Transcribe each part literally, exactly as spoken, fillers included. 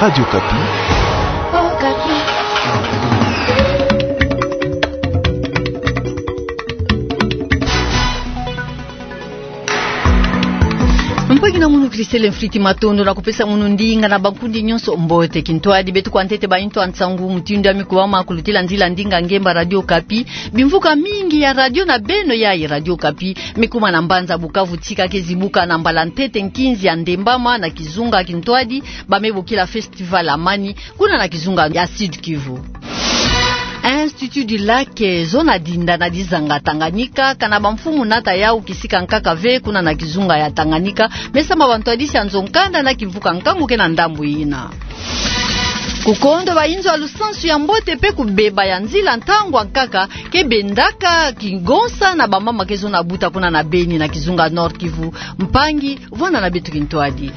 Radio Okapi. Mpangi na munu, Christelle Mfriti, matondo na kupesa munu ndinga na bankundi nyonso mbote. Kintwadi, beto kwa ntete baintu a nsangu mutindu ya mikubama kulutila nzila ndinga ngemba Radio Okapi. Bimvuka mingi ya radio na beno yayi Radio Okapi me kuma na mbanza Bukavu, tika ke zibuka na mbala ntete nkinzi ya ndembama na kizunga kintwadi ba me bokila Festival Amani, kuna na kizunga ya Sud-Kivu. Institut du Lac, eh, zona dinda na dizanga Tanganyika, kana bamfumu nata yau kisika nkaka ve kuna na kizunga ya Tanganyika, me samba bantwadisi ya nzo-nkanda na kimvuka nkangu ke na ndambu yina. Kukondo bainzo ya lusansu ya mbote pe kubeba ya nzila ntangu ya nkaka ke bendaka kingonsa na bamama ke zona buta kuna na Beni na kizunga Nord-Kivu. Mpangi, vwanda na beto kintwadi.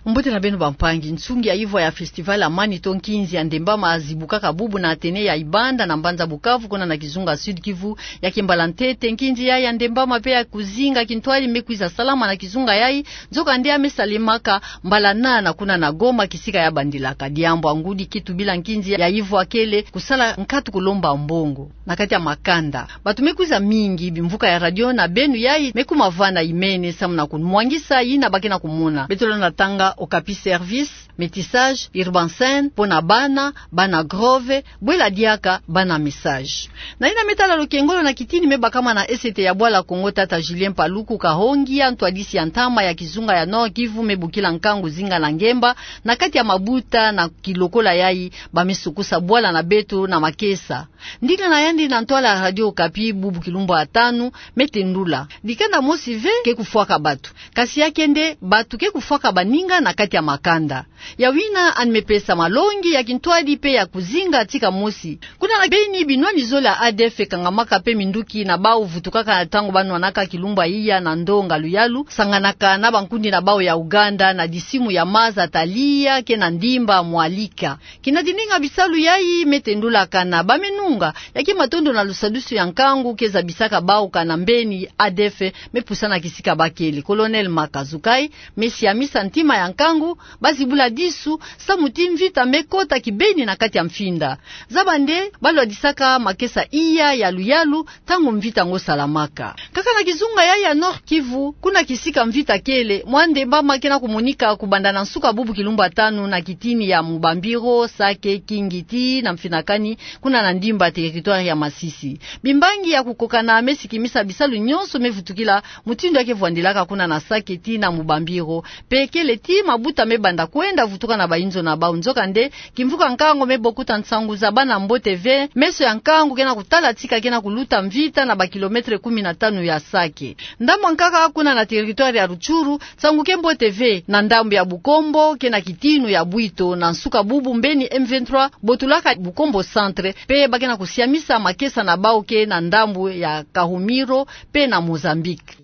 Mbote na beno bampangi. Nsungi ya ivwa ya Festival Amani to nkinzi ya ndembama zibukaka bubu na Athénée ya Ibanda na mbanza Bukavu kuna na kizunga Sud-Kivu. Ya ke mbala ntete nkinzi yayi ya ndembama pe ya kuzinga kintwadi me kwiza salama na kizunga yayi, nzokande ya me salemaka mbala nana kuna na Goma, kisika ya bandilaka. Diambu ya ngudi ki tubila nkinzi ya ivwa kele kusala nkatu kulomba mbongo na kati ya makanda. Bato me kwiza mingi, bimvuka ya radio na beno yayi me kuma vana imene samu na kumwangisa yina ba ke na kumona. Beto lenda tanga Okapi Service, Métissage, Urbain Scène, Pona Bana, Bana Grove, Bwela Diaka, Bana Message. Na yina me tala lukengolo na kitini me bakama na S T ya Bwala Kongo, tata Julien Paluku Kahongia, ntwadisi ya ntama ya kizunga ya Nord-Kivu, me bokila nkangu zinga na ngemba na kati ya mabuta na kilokola yayi ba me sukusa bwala na beto na makesa. Ndinga na yandi na ntwala ya Radio Okapi bubu kilumbu ya tanu me tendula: dikanda mosi ve ke kufwaka bato, kasi ya ke nde bato ke kufwaka baninga na kati ya makanda. Yawu yina yandi me pesa malongi ya kintwadi pe ya kuzinga tika mosi. Kuna na Beni, binwani zole ya A D F ekangamaka pe minduki na bau vutukaka ntangu ba nwanaka kilumbu ya iya na ndonga luyalu, sanganaka na bankundi na bau ya Ouganda na disimu ya maza Talia ke na ndimba Mwalika. Kina dindinga bisalu yayi me tendula kana ba me nunga, ya ke matondo na lusadusu ya nkangu ke zabisaka bau kana mbeni A D F me pusana kisika ba kele. Colonel Maka Zukai me siamisa ntima ya nkangu, ba zibula disu samu ti mvita me kota kibeni na kati ya mfinda. Zaba nde ba lwadisaka makesa iya ya luyalu ntangu mvita ngo salamaka. Kaka na kizunga yayi ya Nord-Kivu, kuna kisika mvita kele, mwa ndembama ke na kumonika kubanda na nsuka bubu kilumbu ya tanu na kitini ya Mubambiro, Sake, Kingiti na Mfinakani, kuna na ndimba territoire ya Masisi. Bimbangi ya kukokana me sikimisa bisalu nyonso me vutukila mutindu ya ke vwandilaka kuna na Sake tii na Mubambiro. Pe kele ti mabuta me banda kwenda vutuka na bainzo na bau. Nzokande, kimvuka nkangu me bokuta nsangu za bana mbote ve, meso ya nkangu ke na kutala tika ke na kuluta mvita na ba kilomètre kumi na tanu ya Sake. Ndambu ya nkaka, kuna na territoire ya Rutshuru, nsangu ke mbote ve na ndambu ya Bukombo ke na kitinu ya Bwito, na nsuka bubu mbeni M vingt-trois botulaka Bukombo Centre, pe ba ke na kusiamisa makesa na bau ke na ndambu ya Kahumiro pe na Mozambique.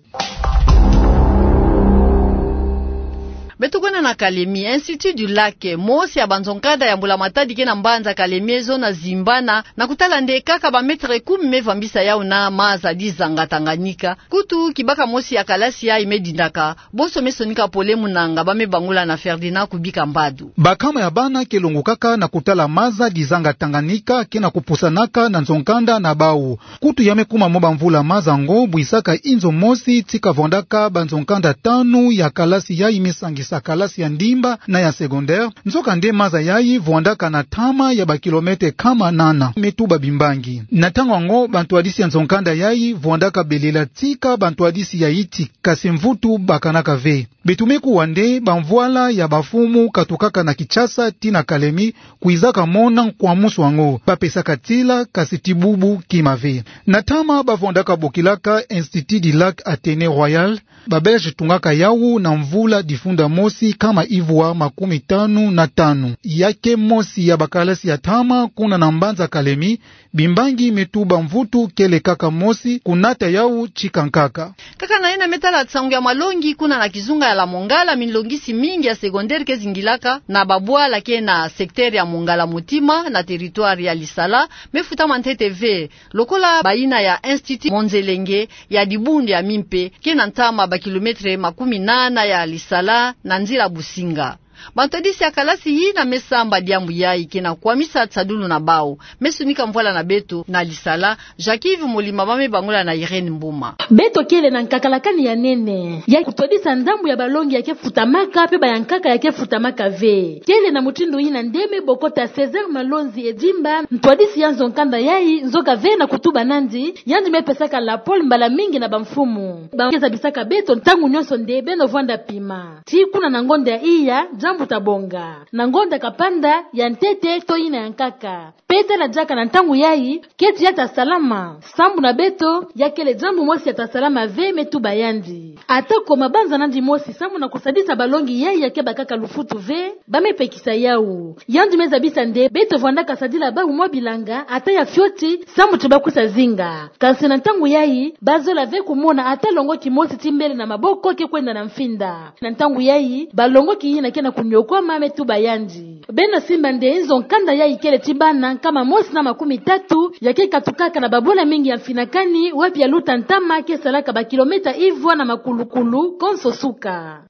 Beto kwenda na Kalemi. Institut du Lac, mosi ya banzo-nkanda ya mbula matadi ke na mbanza Kalemi, zona zimbana na kutala nde kaka ba mètre kumi me vambisa yau na maza dizanga Tanganyika. Kutu kibaka mosi ya kalasi yayi me dindaka, bonso me sonika pole munanga, ba me bangula na Ferdinand Kubika Mbadu. Bakama ya bana ke longokaka na kutala maza dizanga Tanganyika ke na kupusanaka na nzo-nkanda na bau. Kutu ya me kuma mwa bamvula maza ngo bwisaka inzo mosi tika vwandaka banzo-nkanda tanu ya kalasi yayi me sangisa kalasi ya ndimba na ya secondaire. Nzokande maza yayi vwandaka na ntama ya ba kilomètre kama nana, me tuba bimbangi. Na ntangu yango, bantwadisi ya nzo-nkanda yayi vwandaka belela tika bantwadisi ya yiti, kasi mvutu bakanaka ve. Beto me kuwa nde bamvwala ya bamfumu katukaka na Kinshasa tii na Kalemi kwizaka mona nkwamusu yango. Ba pesaka tila, kasi ti bubu kima ve. Na ntama ba vwandaka bokilaka Institut du Lac Athénée Royal, ba Belge tungaka yau na mvula difunda mosi ntama ivwa makumi tanu na tanu. Ya ke mosi ya bakalasi ya tama kuna na mbanza Kalemi, bimbangi me tuba mvutu kele kaka mosi, kunata yau tika nkaka. Kaka na yina me tala nsangu ya malongi, kuna na kizunga ya la Mongala, minlongisi mingi ya secondaire ke zingilaka na babwala ke na secteur ya Mongala Mutima na territoire ya Lisala, me futama ntete ve, lokola bayina ya Institut Monzelenge ya dibundu ya mimpe, ke na ntama ba kilomètre makumi nana ya Lisala na nzila Businga. Bantwadisi ya kalasi yina me samba diambu yayi ke na kwamisa nsadulu na bau. Me sunika mvwala na beto na Lisala, Jacques-Yves Molima, ba me bangula na Irène Mbuma. Beto kele na nkakalakani ya nene ya kutwadisa ndambu ya balongi ya ke futamaka, pe ba ya nkaka ya ke futamaka ve. Kele na mutindu yina nde me bokota César Malonzi Edimba, ntwadisi ya nzo nkanda yayi, nzoka ve na kutuba nandi, yandi me pesaka lapole mbala mingi na bamfumu. Ba ke zabisaka beto ntangu nyonso nde beno vwanda pima. Ti kuna na ngonda ya iya, diambu tabonga. Na ngonda kapanda, ya ntete, to yina ya nkaka. Pe tala diaka na ntangu yayi, keti ya tasalama. Sambu na beto, ya kele diambu mosi ya tasalama ve, me tuba yandi. Atako mabanza nandi mosi, sambu na kusadisa balongi yayi ya ke bakaka lufutu ve, ba me pekisa yau. Yandi me zabisa nde, beto vwandaka sadila bau mwa bilanga, ata ya fioti, sambu ti ba kusa zinga. Kansi na ntangu yayi, ba zola ve kumona ata longo kimosi ti mbele na maboko ke kwenda na mfinda. Na ntangu yayi, balongoki yina ke na kuniokwama, me tuba yandi. Beno simba nde nzo nkanda yayi kele ti bana nkama mosi na makumi tatu, ya ke katukaka na babwala mingi ya mfinakani, wapi ya luta ntama ke salaka ba kilomètre ivwa na makulukulu, konso suka.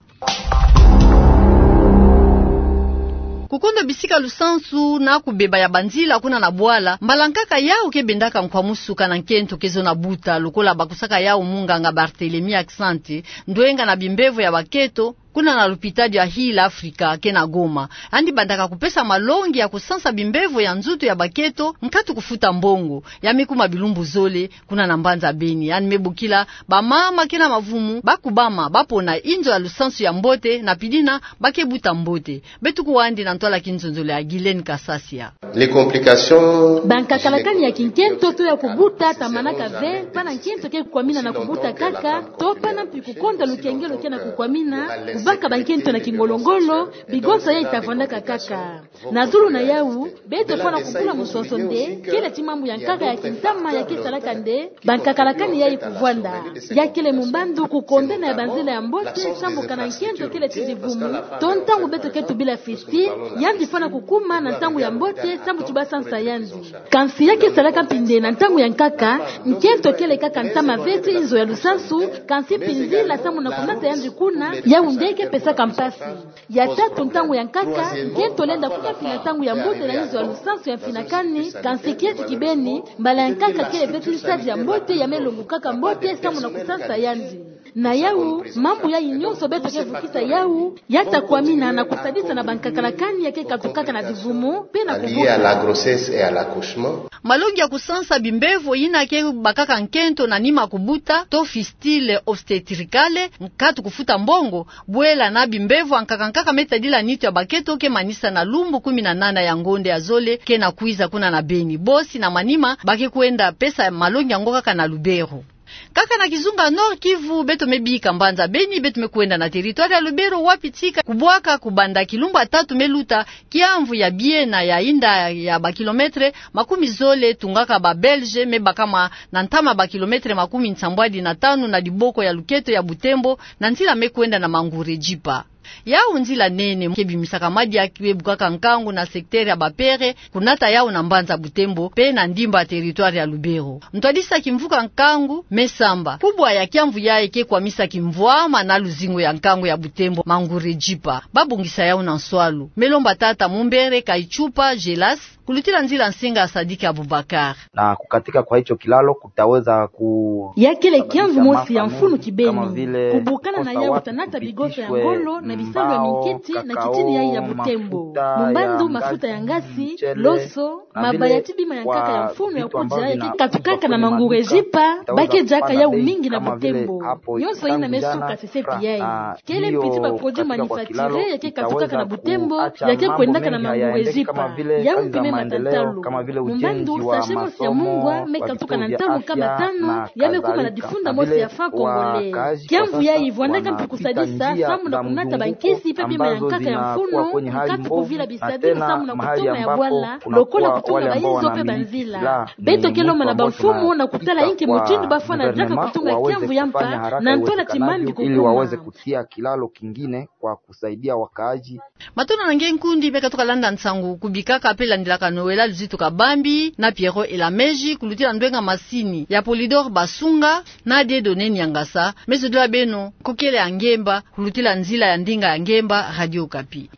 Kukondo bisika lusansu na kubeba ya banzila kuna na bwala, mbala nkaka yau ke bendaka nkwamusu kana nkento ke zo na buta, lokola bakusaka yau munganga Barthélemy Axante, ndwenga na bimbevo ya baketo, kuna na lupitalu ya Heal Africa ke na Goma. Yandi bandaka kupesa malongi ya kusansa bimbevo ya nzutu ya baketo, nkatu kufuta mbongo. Ya me kuma bilumbu zole, kuna na mbanza Beni. Yandi me bokila bamama ke na mavumu, ba kubama, ba pona inzo ya lusansu ya mbote, na pidina, ba ke buta mbote. Beto kuwandi na ntwala kinzonzolo ya Guylaine Kasasia. Les complications. Bankakalakani ya kinkento to ya kubuta tamanaka ve, pana nkento ke kukwamina na kubuta kaka, to pana mpi kukonda lukengelo ke na kukwamina, kubaka bankento na kingolongolo, bigonsa yayi tavwandaka kaka. Na zulu na yau, beto fwana kubula musoso nde, kele ti mambu ya nkaka ya kintama ya ke salaka nde, bankakalakani yayi kuvwanda. Ya kele mumbandu kukondena ya banzila ya mbote, sambu kana nkento kele ti divumu, to ntangu beto ke tubila fistule, yandi fwana kukuma na ntangu ya mbote, sambu ti ba sansa yandi. Kansi ya ke salaka mpi nde na ntangu ya nkaka, nkento kele kaka ntama ve ti inzo ya lusansu, kansi mpi nzila sambu na kunata yandi kuna, yau nde ke pesaka mpasi. Ya tatu, ntangu ya nkaka, nkento lenda kuma mpi na ntangu ya mbote na inzo ya lusansu ya mfinakani, kansi kieti kibeni, mbala ya nkaka kele ve ti nsadi ya mbote ya me longukaka mbote sambu na kusansa yandi. Na yau, mambu yayi nyonso beto ke vukisa yau, ya ta kwamina na kusadisa na bankakalakani ya ke katukaka na divumu, pe na kubuta. Lié à la grossesse et à l'accouchement. Malongi ya kusansa bimbevo yina ke bakaka nkento na nima kubuta, to fistule obstétricale, nkatu kufuta mbongo, bwela na bimbevo ankaka nkaka me tadila nitu ya baketo ke manisa na lumbu kumi na nana ya ngonda ya zole ke na kwiza kuna na Beni. Bosi na manima, ba ke kwenda pesa malongi yango kaka na Lubero. Kaka na kizunga Nord-Kivu, beto me bika mbanza Beni, beto me kwenda na territoire ya Lubero, wapi tika kubwaka kubanda kilumbu ya tatu me luta kiamvu ya biena ya inda ya ba kilomètre makumi zole tungaka ba Belge, me bakama na ntama ba kilomètre makumi nsambwadi na tanu na diboko ya luketo ya Butembo, na nzila me kwenda na Mangouré-Djipa. Yau nzila nene ke bimisaka madia ke bukaka nkangu na secteur ya Bapere, kunata yau na mbanza Butembo, pe na ndimba territoire ya Lubero. Ntwadisi ya kimvuka nkangu me samba kubwa ya kiamvu yayi ke kwamisa kimvwama na luzingu ya nkangu ya Butembo, Mangouré-Djipa. Ba bongisa yau na nswalu. Me lomba tata Mumbere Kaitshupa Gelas, kulutila nzila nsinga Sadiki Abubakar. Na kukatika kwa hicho kilalo kutaweza ku... Ya kele kiamvu mosi ya mfunu kibeni. Kubukana na yau ta nata bigonsa ya ngolo na bisambu ya minketi na kitini yayi ya Butembo. Mumbandu, mafuta ya ngasi, loso, mabaya ti bima ya nkaka ya mfunu ya kudia ya ke katukaka na Mangouré-Djipa, ba ke diaka yau mingi na Butembo. Nyonso yina me suka sesepi yayi. Kele mpi ti ba produits manufacturés ya ke katukaka na Butembo, ya ke kwendaka na Mangouré-Djipa. Yau mpi me mata ntalu. Mumbandu, sachet mosi ya mungwa me katuka na ntalu nkama tanu, ya me kuma na difunda mosi ya francs congolais. Kiamvu yayi vwandaka mpi kusadisa, sambu na kunata Bankisi mpe bima ya nkaka ya mfunu, nkatu kuvila bisadisa muna kutoma ya bwala, lokola kutunga bainzo mpe banzila. Beto ke lomba na bamfumu na kutala inki mutindu bafwana diaka kutunga kiamvu ya mpa, na ntola ti mambi kukuma. Kutia kilalo kingine kwa kusaidia wakaaji. Matondo na nge nkundi me katuka landa nsangu ku bikaka mpe landilaka Noëlla Luzitu Kabambi na Pierrot Elameji kulutila ndwenga masini ya Polydor Basunga na Dieudonné Niangasa, me zodola beno nkokele ya ngemba kulutila nzila ya ndinga ya ngemba Radio Okapi.